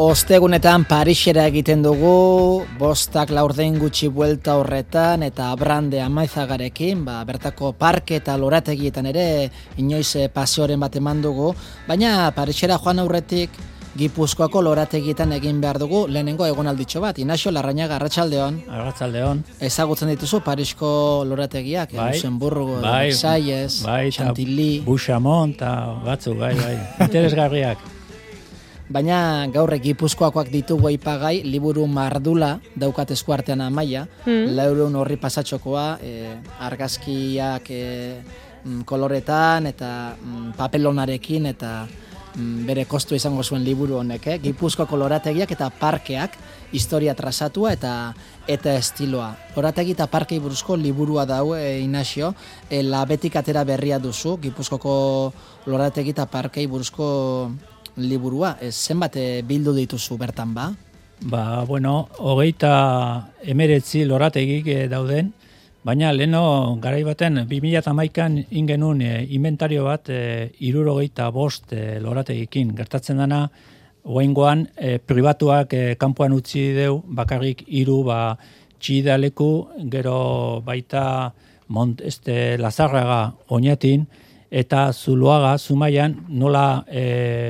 Ostegunetan Parisera egiten dugu, 5-4 gutxi buelta horretan eta Brande Amaizagarekin, bertako parke eta lorategietan ere inoiz paseoren bat eman dugu, baina Parisera joan aurretik Gipuzkoako lorategietan egin behar dugu lehenengo egonalditxo bat. Inaxio Larrañaga, arratsaldeon. Arratsaldeon. Ezagutzen dituzu Parisko lorategiak, Luxemburgo, Versailles, Chantilly, Buxamont eta batzuk, bai. Interesgarriak. Baina gaur Gipuzkoakoak ditugu aipagai, liburu mardula daukat eskuartean Amaia, 400 horri pasatxokoa, argazkiak koloretan eta papelonarekin eta bere kostu izango zuen liburu honek, Gipuzkoako lorategiak eta parkeak, historia trazatua eta estiloa. Lorategi eta parkei buruzko liburua dau, Inaxio, Labetik atera berria duzu, Gipuzkoako lorategi eta parkei buruzko liburua, zenbat bildu dituzu bertan ba? 29 lorategik dauden, baina leheno garai baten 2011an ingenun inventario bat 75 lorategikin. Gertatzen dana, oraingoan pribatuak kanpoan utzi deu, bakarrik 3 txidaleku, gero baita Lazarraga Oñatin, eta Zuloaga, Zumaian, nola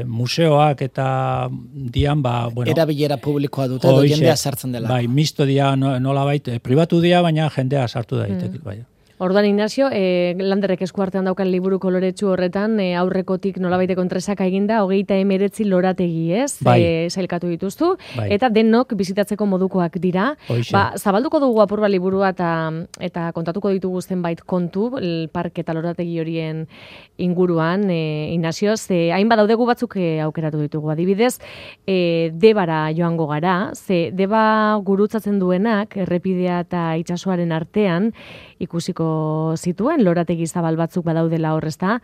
museoak eta dian, erabilera publikoa dute, edo jendea sartzen dela. Bai, misto dia nola pribatu dia, baina jendea sartu daitek, bai. Orduan, Ignacio, Landerrek eskuartean daukan liburu koloretsu horretan, aurrekotik nolabaiteko entresaka eginda, 39 lorategi, ez? Bai. Sailkatu dituztu, bai. Eta denok bizitatzeko modukoak dira. Zabalduko dugu apurba liburua eta kontatuko ditugu zenbait kontu, parke eta lorategi horien inguruan, Ignacio, hainbat daudegu batzuk aukeratu ditugu. Adibidez, Debara joango gara, Deba gurutzatzen duenak, errepidea eta itsasoaren artean, ikusiko zituen, lorategi zabal batzuk badaudela horrezta.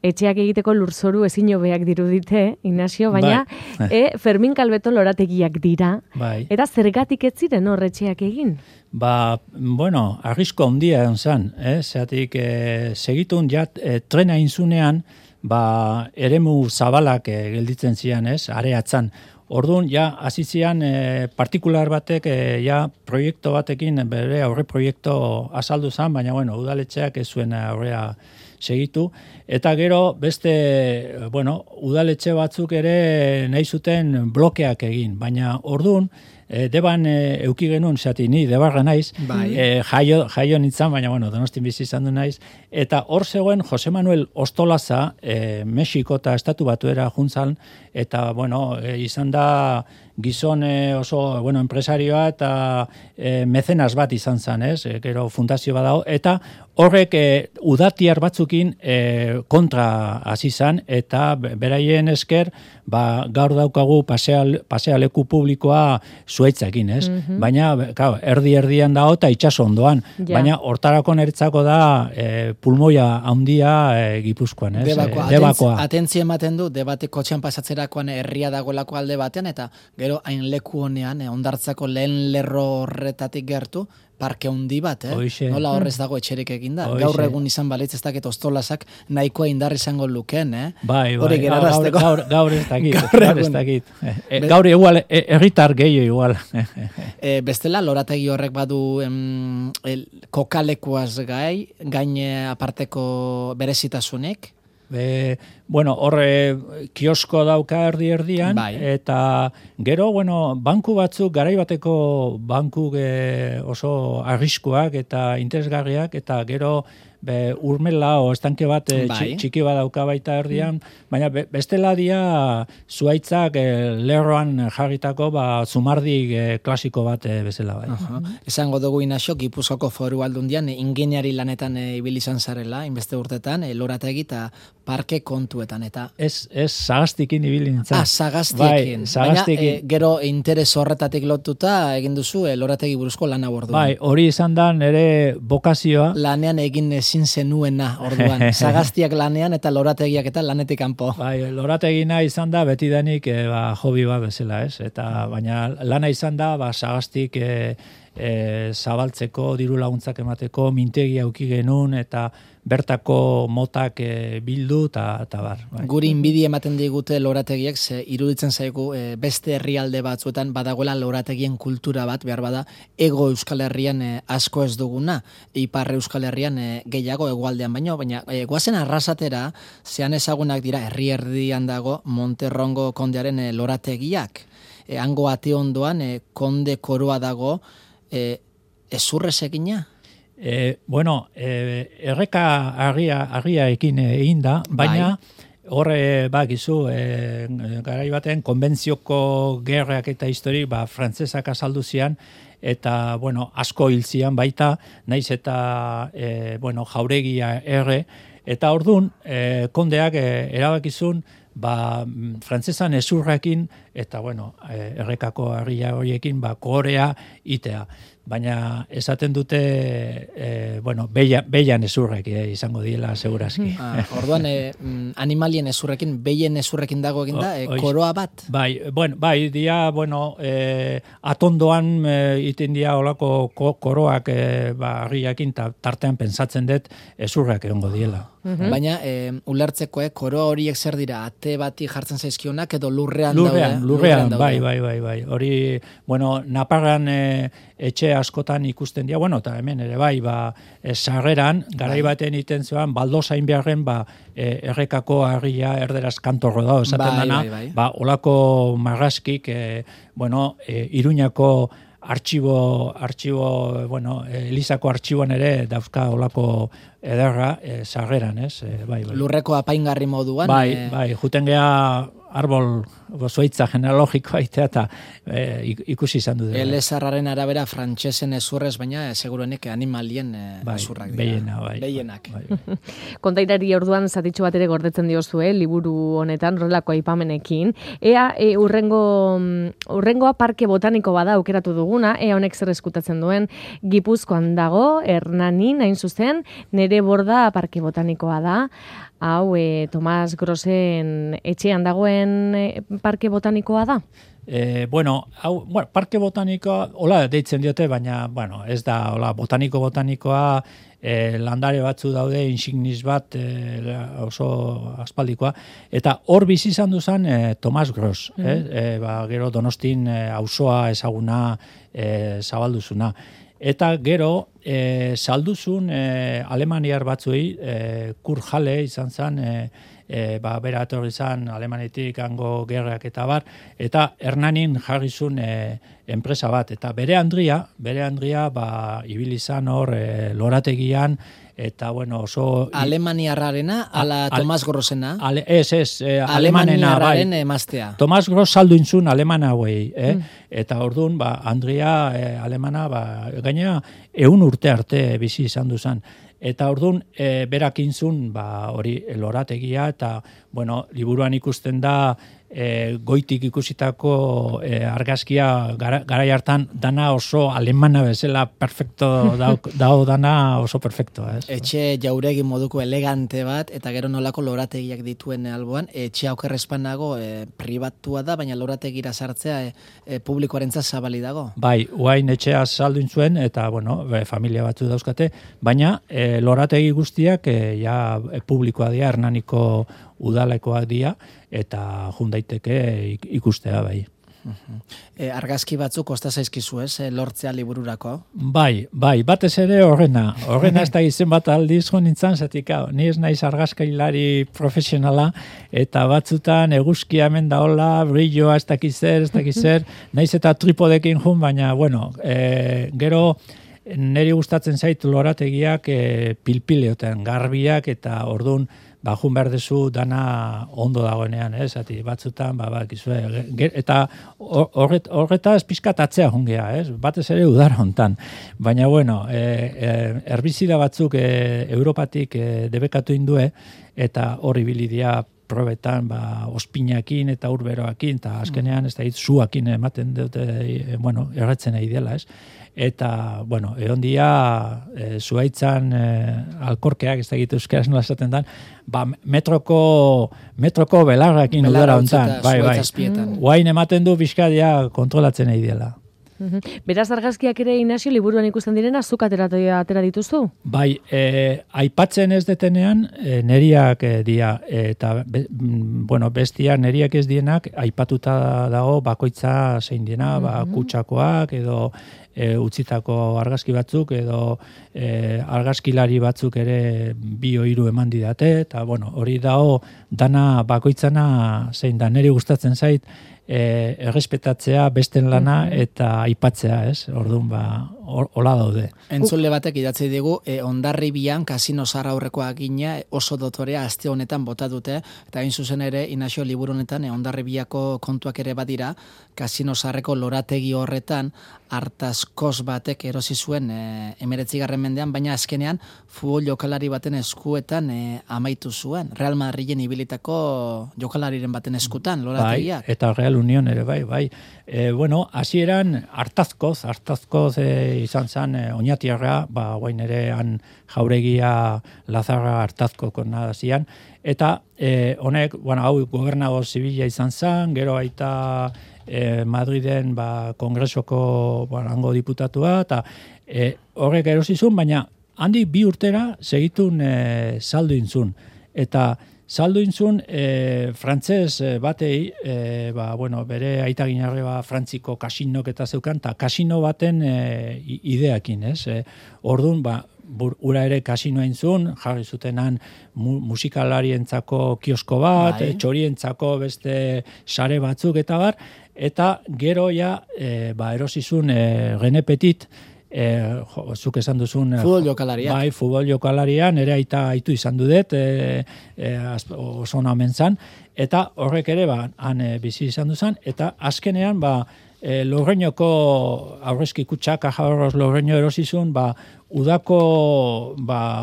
Etxeak egiteko lurzoru ezin hobeak dirudite, Ignacio, baina Fermin Kalbeto lorategiak dira. Bai. Eta zergatik ez ziren horretxeak egin? Arrisko handia egon zen, zeatik segitun trena inzunean, eremu zabalak gelditzen zian, areatzan. Orduan, hasi zian partikular batek, proiektu batekin, bere aurre proiektu azaldu zen, baina, udaletxeak ez zuen aurrea segitu. Eta gero, beste, udaletxe batzuk ere nahi zuten blokeak egin, baina orduan, Deban euki genuen, ni Debarra naiz, jaio nintzen, baina Donostin bizi izan du naiz, eta hor zegoen Jose Manuel Ostolaza, Mexiko eta Estatu Batuera juntzan, eta izan da gizon oso enpresarioa eta mecenas bat izan zen, gero fundazio badao, eta horrek udatiar batzukin kontra hasi zen, eta beraien esker gaur daukagu pasealeku publikoa zuaitzakin, baina erdi-erdian dago eta itxaso ondoan, baina hortarako niretzako da pulmoia handia Gipuzkoan, Debakoa. Atentzia ematen du, Debate kotxean pasatzerakoan herria dagoelako alde batean, eta gero hain leku honean, ondartzako lehen lerro horretatik gertu, parke handi bat, nola horrez dago etxerik eginda. Gaur egun izan balitz ez dakit Ostolazak nahikoa indar izango lukeen, Bai, gaur ez dakit. Gaur igual, erritar gehiago igual. Bestela, lorategi horrek badu kokalekuaz gain aparteko berezitasunik? Horre kiosko dauka erdi-erdian, eta gero, banku batzuk, garaibateko bankuk oso arriskuak eta interesgarriak, eta gero urmela o estanke bat txiki bat dauka baita erdian, baina bestela dia zuaitzak lerroan jarritako zumardi klasiko bat bezala. Esango dugu, Inaxio, Gipuzkoako Foru Aldundian ingeniari lanetan ibili izan zarela, inbeste urtetan, lorategi eta parke kontuetan, eta... Ez Sagastikin ibili nintzen. Sagastiekin. Baina gero interes horretatik lotuta egin duzu lorategi buruzko lana bordu. Bai, hori izan da nire bokazioa. Lanean egin ezin zenuena orduan. Sagastiak lanean eta lorategiak eta lanetik kanpo. Bai, lorategina izan da betidanik hobi bat bezala, eta baina lana izan da Sagastik zabaltzeko, diru laguntzak emateko, mintegia auki genuen, eta bertako motak bildu eta bar. Bai. Guri inbidi ematen digute lorategiek, ze iruditzen zaigu beste herrialde batzuetan badagoela lorategien kultura bat, behar bada, ego Euskal Herrian asko ez duguna, ipar Euskal Herrian gehiago egualdean baina goazen arrasatera, zean ezagunak dira, herri erdian dago Monterrongo kondearen lorategiak. Hango ate ondoan, konde koroa dago, ezurrez egina? Erreka argia ekin egin da, baina horre bakizu, garai baten konbentzioko gerrak eta histori, frantzesak azaldu zian, eta, asko hil zian baita, naiz eta, jauregia erre, eta ordun kondeak erabakizun, frantzesan ezurrekin, eta, errekako argia horiekin, korea itea. Baina esaten dute, beian ezurrek izango diela segurazki. Orduan, animalien ezurrekin, beien ezurrekin dago egin da, koroa bat? Bai, dia, atondoan iten dia olako koroak argiakin, tartean pensatzen dut ezurrak egongo diela. Baina, ulertzeko, koroa horiek zer dira, ate bati jartzen zaizkionak edo lurrean daude? Lurrean, bai. Hori, Naparran etxe askotan ikusten dira, eta hemen ere bai, sarreran, garai baten iten zean, baldozain beharren, errekako argia erderaz kantorro da, esaten dana, olako marraskik, Iruñako artxibo, Elizako artxiboan ere dauzka olako ederra sarreran, ez? Lurreko apaingarri moduan? Bai, juten geha arbol zoitza genealogikoa eta ikusi izan du. Elezarraren arabera frantsesen ezurrez, baina seguruenik animalien ezurrak dira. Beienak. Kontairari orduan zatitxo bat ere gordetzen diozue, liburu honetan, rolako aipamenekin. Ea, urrengoa parke botaniko bada aukeratu duguna, ea honek zer eskutatzen duen, Gipuzkoan dago, Hernanin, hain zuzen, nere borda parke botanikoa da. Hau, Tomas Grosen etxean dagoen parke botanikoa da? Parke botanikoa, hola deitzen diote, baina, ez da, hola, botanikoa, landare batzu daude, insignis bat, oso aspaldikoa, eta hor bizi izan duzan Tomas Gros, gero Donostin auzoa ezaguna zabalduzuna. Eta gero, salduzun alemaniar batzuei, Kurt Halle izan zen, bera etorri zen Alemanetik hango gerrak eta bar, eta Hernanin jarrizun enpresa bat, eta bere Andria, ibili izan hor lorategian, eta oso... Alemaniarrarena, ala Tomas Grosena? Ez, Alemaniarraren emaztea. Tomas Gros saldu intzun alemana hauei, eta orduan, Andria alemana, gaina 100 urte arte bizi izan duzan. Eta orduan, berak intzun, hori lorategia, eta, liburuan ikusten da, goitik ikusitako argazkia garai hartan dana oso alemana bezala perfecto dao dana oso perfecto. Etxe jauregi moduko elegante bat, eta gero nolako lorategiak dituen alboan, etxe aukerrespanago pribatua da, baina lorategira sartzea publikoarentzat zabali dago. Bai, uain etxea salduin zuen, eta familia batzu dauzkate, baina lorategi guztiak publikoa dira, Hernaniko udalekoak dira, eta jundaiteke ikustea bai. Argazki batzuk kosta zaizkizu lortzea libururako? Bai, batez ere horrena ez da izen bat aldiz nintzen, zatik, ni ez naiz argazkailari profesionala, eta batzutan eguzkia hemen daola, brilloa ez dakizer, naiz eta tripodekin jun, baina, gero niri gustatzen zait lorategiak pilpileoten, garbiak, eta ordun jun behar dezu dana ondo dagoenean, batzutan, eta horretaz pizkat atzea jungea, batez ere udara hontan. Baina, herbizida batzuk Europatik debekatu indue, eta horri bilidia probetan, ospinakin eta urberoakin, eta azkenean, ez da, zuakin ematen dute, erretzen nahi dela, Eta, egon dia, zuaitzan alkorkeak, ez da egitu euskaraz nola esaten dan, metroko belarrakin udara hontan. Bai. Guain ematen du bizkadia kontrolatzen nahi dela. Beraz argazkiak ere, Inazio, liburuan ikusten direna, zuk atera dituzu? Bai, aipatzen ez detenean, neriak dia, eta bestia neriak ez dienak, aipatuta dago bakoitza zein diena, kutsakoak, edo utzitako argazki batzuk, edo argazkilari batzuk ere 2-3 eman didate, eta hori dago dana bakoitzana zein da, neri gustatzen zait, errespetatzea, besten lana eta aipatzea, ez? Orduan, hola daude. Entzule batek idatzi digu, Hondarribian kasino zahar aurrekoa gina oso dotorea aste honetan bota dute, eta hain zuzen ere, Inazio liburu honetan, Hondarribiako kontuak ere badira, kasino zaharreko lorategi horretan, hartazkoz batek erosi zuen 19. mendean, baina azkenean futbol jokalari baten eskuetan amaitu zuen. Real Madriden ibilitako jokalariren baten eskutan, lorategiak. Bai, eta Real Unión ere, bai. Hasieran hartazkoz izan zen oinatiarra, guain ere han jauregia Lazarra hartazkoko nadazian, eta honek, hau gobernago zibila izan zen, gero baita Madriden kongresoko hango diputatua, eta horrek erosizun, baina handik 2 urtera segitun saldu intzun. Eta saldu intzun frantzez batei, bere aita ginarre frantziko kasinok eta zeukan, eta kasino baten ideakin, ez? Orduan, ura ere kasinoa intzun, jarri zutenan musikalarientzako kiosko bat, txorientzako beste sare batzuk eta bar, eta gero erosizun René Petit, zuk esan duzun futbol jokalaria. Bai, futbol jokalaria, nire aitu izan dudet, oso namen zan, eta horrek ere han bizi izan duzan, eta azkenean Lorreñoko aurrezki kutsak, Caja Lorreño erosizun, udako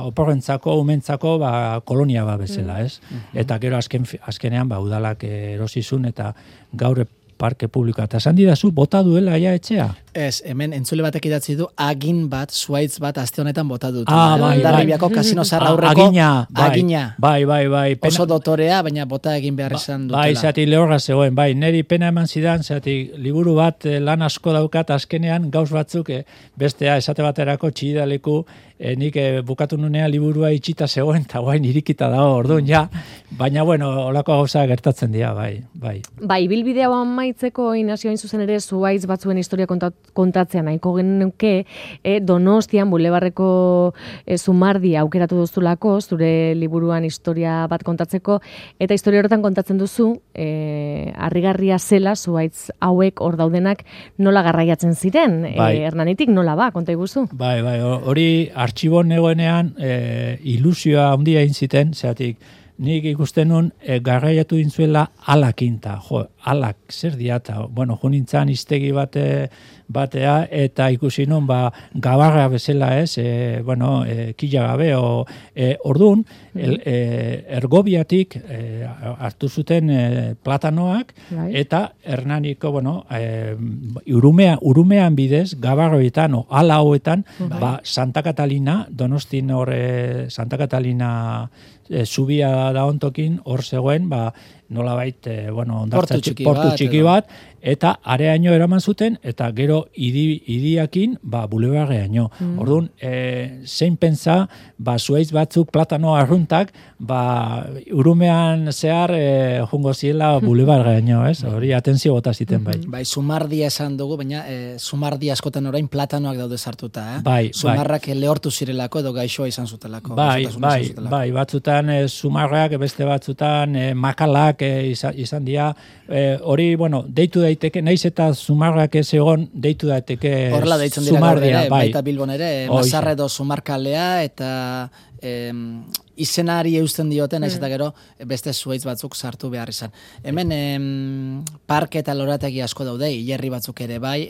oporrentzako, umentzako kolonia bezala, ez? Eta gero azkenean udalak erosizun, eta gaur parke publikoa. Eta esan didazu, bota duela etxea? Ez, hemen entzule batek idatzi du, agin bat, zuaitz bat, aste honetan bota dut. Hondarribiako kasino zahar aurreko. Agina. Bai. Oso dotorea, baina bota egin behar izan dutela. Bai, zati lehorra zegoen, neri pena eman zidan, zati liburu bat lan asko daukat, azkenean gauz batzuk, bestea esate baterako txidaleku, nik bukatu nunea liburua itxita zegoen, eta guain irikita dago, orduan baina olako gauza gertatzen dira, bai. Bai, bilbidea amaitzeko, Inazio, hain zuzen ere, zuaitz batzuen historia kontatzea nahiko genuke, Donostian, Bulebarreko Zumardia aukeratu duzulako, zure liburuan historia bat kontatzeko, eta historia horretan kontatzen duzu, harrigarria zela, zuaitz hauek hor daudenak nola garraiatzen ziren, Hernanitik nola konta iguzu? Bai, hori artxibon negoenean ilusioa handia egin ziten, zeatik, nik ikusten nun garraiatu dintzuela alakinta. Alak, zer diata? Junintzan iztegi batea, eta ikusi nun, gabarra bezala ez, kila gabe, orduan, Ergobiatik hartu zuten platanoak, eta Hernaniko, urumean bidez, gabarroetan, ala hauetan, Santa Catalina, Donostin Santa Catalina zubia da ontokin, hor zegoen, nolabait, portu txiki bat, eta areaino eraman zuten, eta gero idiakin, bulebarreaino. Orduan, zein pentsa, zuaiz batzuk platano arruntak, urumean zehar jungo ziela bulebarreaino, ez? Hori atentzio bota ziten, bai. Bai, Zumardia esan dugu, baina Zumardia askotan orain platanoak daude sartuta, Zumarrak lehortu zirelako edo gaixoa izan zutelako. Bai, batzutan Zumarrak, beste batzutan makalak izan dira, hori, deitu daiteke, naiz eta Zumarrak ez egon, deitu daiteke horrela deitzen dira gaur ere, baita Bilbon ere, Mazarre edo Zumarkalea, eta izenari eusten dioten, naiz eta gero beste zuaitz batzuk sartu behar izan. Hemen parke eta lorategi asko daude, hilerri batzuk ere bai,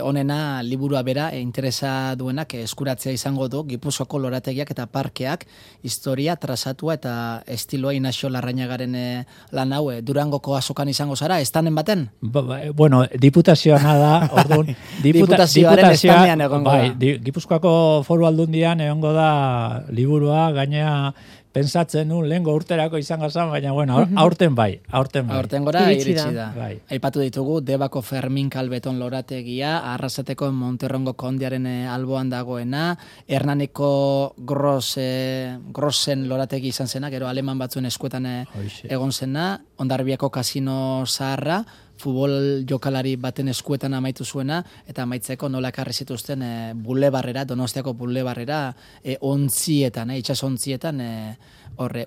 honena liburu bera interesa duenak eskuratzea izango du Gipuzkoako lorategiak eta parkeak historia trazatua eta estiloa Inazio Larrañagaren lan hau Durangoko azokan izango zara, estanen baten? Diputazioa da, orduan diputazioaren estanean egongo da. Gipuzkoako Foru Aldundian egongo da liburua, gainea pensatzen nun lehengo urterako izango zen, baina bueno, aurten bai. Aurten gora iritsi da. Bai. Aipatu ditugu, Debako Fermin Kalbeton lorategia, Arrasateko Monterrongo kondiaren alboan dagoena, Hernaniko Grossen lorategi izan zena, gero aleman batzuen eskuetan egon zena, Hondarribiako kasino zaharra, futbol jokalari baten eskuetan amaitu zuena, eta amaitzeko nola ekarri zituzten bulebarrera, Donostiako bulebarrera, ontzietan, itsasontzietan,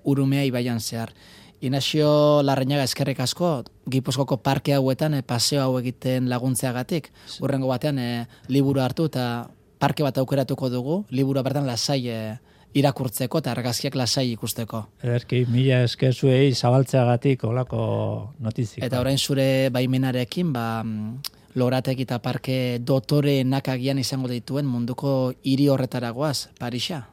Urumea ibaian zehar. Inazio Larrañaga eskerrik asko, Gipuzkoako parke hauetan paseo hau egiten laguntzeagatik. Hurrengo batean liburu hartu eta parke bat aukeratuko dugu, liburu bertan lasai irakurtzeko eta argazkiak lasai ikusteko. Ederki, mila esker zuei zabaltzeagatik olako notizik. Eta orain zure baimenarekin, lorategi eta parke dotoreenak agian izango dituen munduko hiri horretaragoaz, Parisa.